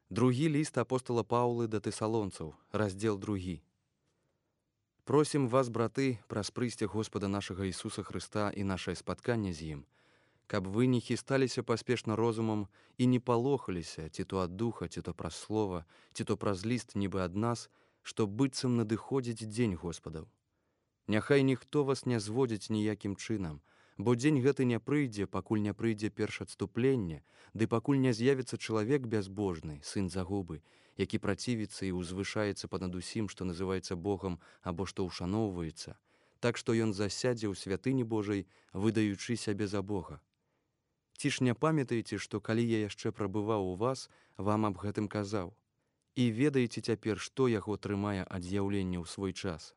Другі ліст апостола Паўлы да тэсалонцаў, раздзел 2. Просім вас, браты, праз прыйсце Господа нашага Ісуса Хрыста і нашае спатканне з ім, каб вы не хісталіся паспешна розумам і не палохаліся ці то ад духа, ці то праз слова, ці то праз ліст нібы ад нас, што быццам надыходзіць дзень Господаў. Няхай ніхто вас не зводзіць ніякім чынам, бо дзень гэты не прыйдзе, пакуль не прыйдзе першадступленне, ды пакуль не з'явіцца чалавек бязбожны, сын загубы, які працівіцца і ўзвышаецца панад усім, што называецца Богам або што ўшаноўваецца, так што ён засядзе ў святыні Божай, выдаючы сябе за Бога. Ці ж не памятаеце, што калі я яшчэ прабываў у вас, вам аб гэтым казаў? І ведаеце цяпер, што яго трымае ад з'яўлення ў свой час?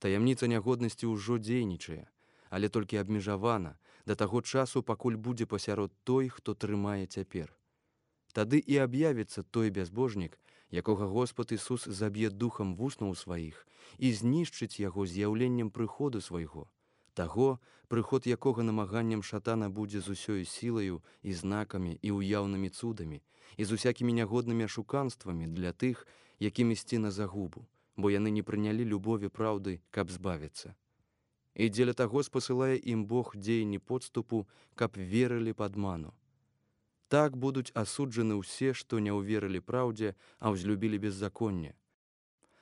Таямніца нягоднасці ўжо дзейнічае, але толькі абмежавана да таго часу, пакуль будзе пасярод той, хто трымае цяпер. Тады і аб'явіцца той бязбожнік, якога Господ Ісус заб'е духам вуснаў сваіх і знішчыць яго з'яўленнем прыходу свайго, таго, прыход якога намаганнем шатана будзе з усёю сілаю і знакамі і ўяўнымі цудамі і з усякімі нягоднымі ашуканствамі для тых, якім ісці на загубу, бо яны не прынялі любові праўды, каб збавіцца. І дзеля таго спасылае ім Бог дзеянні подступу, каб верылі падману. Так будуць асуджаны ўсе, што не ўверылі праўдзе, а ўзлюбілі беззаконне.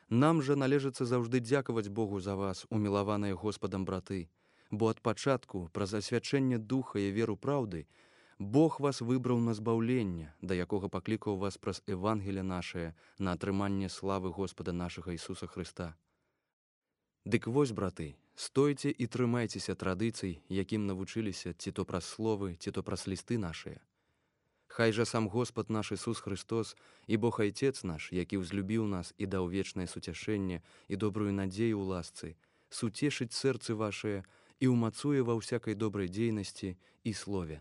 Нам жа належыцца заўжды дзякаваць Богу за вас, умілаваныя Господам браты, бо ад пачатку, праз асвячэнне духа і веру праўды, Бог вас выбраў на збаўленне, да якога паклікаў вас праз Евангелие нашае на атрыманне славы Господа нашага Ісуса Хрыста. Дык вось, браты, стойце і трымайцеся традыцый, якім навучыліся ці то праз словы, ці то праз лісты нашыя. Хай жа сам Господ наш Ісус Христос і Бог Айцец наш, які ўзлюбіў нас і даў вечнае суцяшэнне і добрую надзею ў ласцы, суцешыць сэрцы вашае і ўмацуе ва ўсякай добрай дзейнасці і слове.